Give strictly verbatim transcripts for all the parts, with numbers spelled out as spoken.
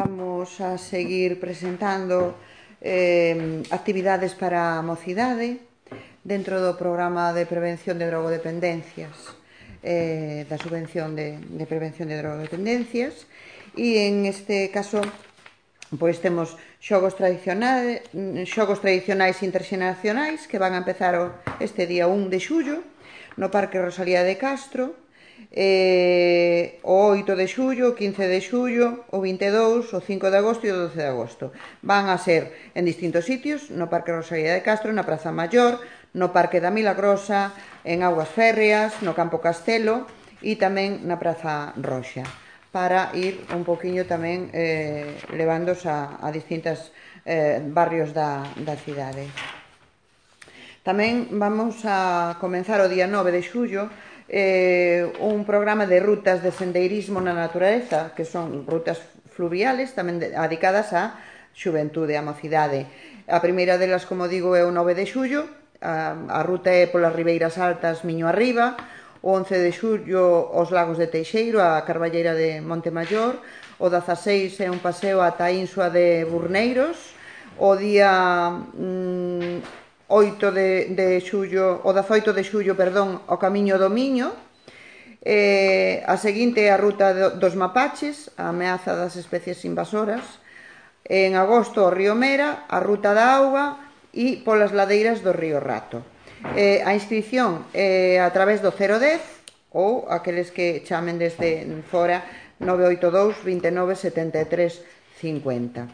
vamos a seguir presentando eh, actividades para a mocidade dentro do programa de prevención de drogodependencias eh, da subvención de, de prevención de drogodependencias, e en este caso pois temos xogos tradicionais, xogos tradicionais interxeneracionais que van a empezar este día un de xullo no Parque Rosalía de Castro, eh, o oito de xullo, o quince de xullo, o vinte e dous, o cinco de agosto e o doce de agosto. Van a ser en distintos sitios, no Parque Rosalía de Castro, na Praza Maior, no Parque da Milagrosa, en Augas Férreas, no Campo Castelo e tamén na Praza Roxa, para ir un poquinho tamén eh, levándos a, a distintos eh, barrios da, da cidade. Tamén vamos a comenzar o día nove de xullo eh, un programa de rutas de sendeirismo na natureza, que son rutas fluviales tamén dedicadas á xuventude, á mocidade. A primeira delas, como digo, é o nove de xullo, a, a ruta é polas Ribeiras Altas, Miño Arriba. O once de xullo, os Lagos de Teixeiro, a Carballeira de Montemayor. O dezaseis é un paseo ata a Insua de Burneiros. O día mmm, oito de, de xullo, o dezaoito de xullo, perdón, o Camiño do Miño. Eh, a seguinte é a ruta do, dos mapaches, a ameaza das especies invasoras. En agosto, o río Mera, a ruta da auga e polas ladeiras do río Rato. Eh, a inscripción é a través do cero dez ou aqueles que chamen desde fora nove oito dous, veintinueve, setenta e tres, cincuenta.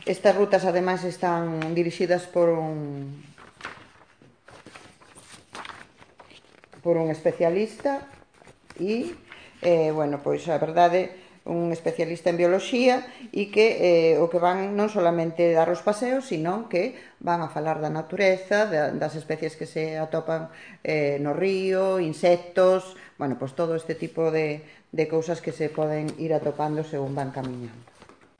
Estas rutas, ademais, están dirixidas por un por un especialista e, eh, bueno, pois a verdade, un especialista en bioloxía e que eh, o que van non solamente dar os paseos, sino que van a falar da natureza, das especies que se atopan eh, no río, insectos, bueno, pois todo este tipo de, de cousas que se poden ir atopando según van camiñando.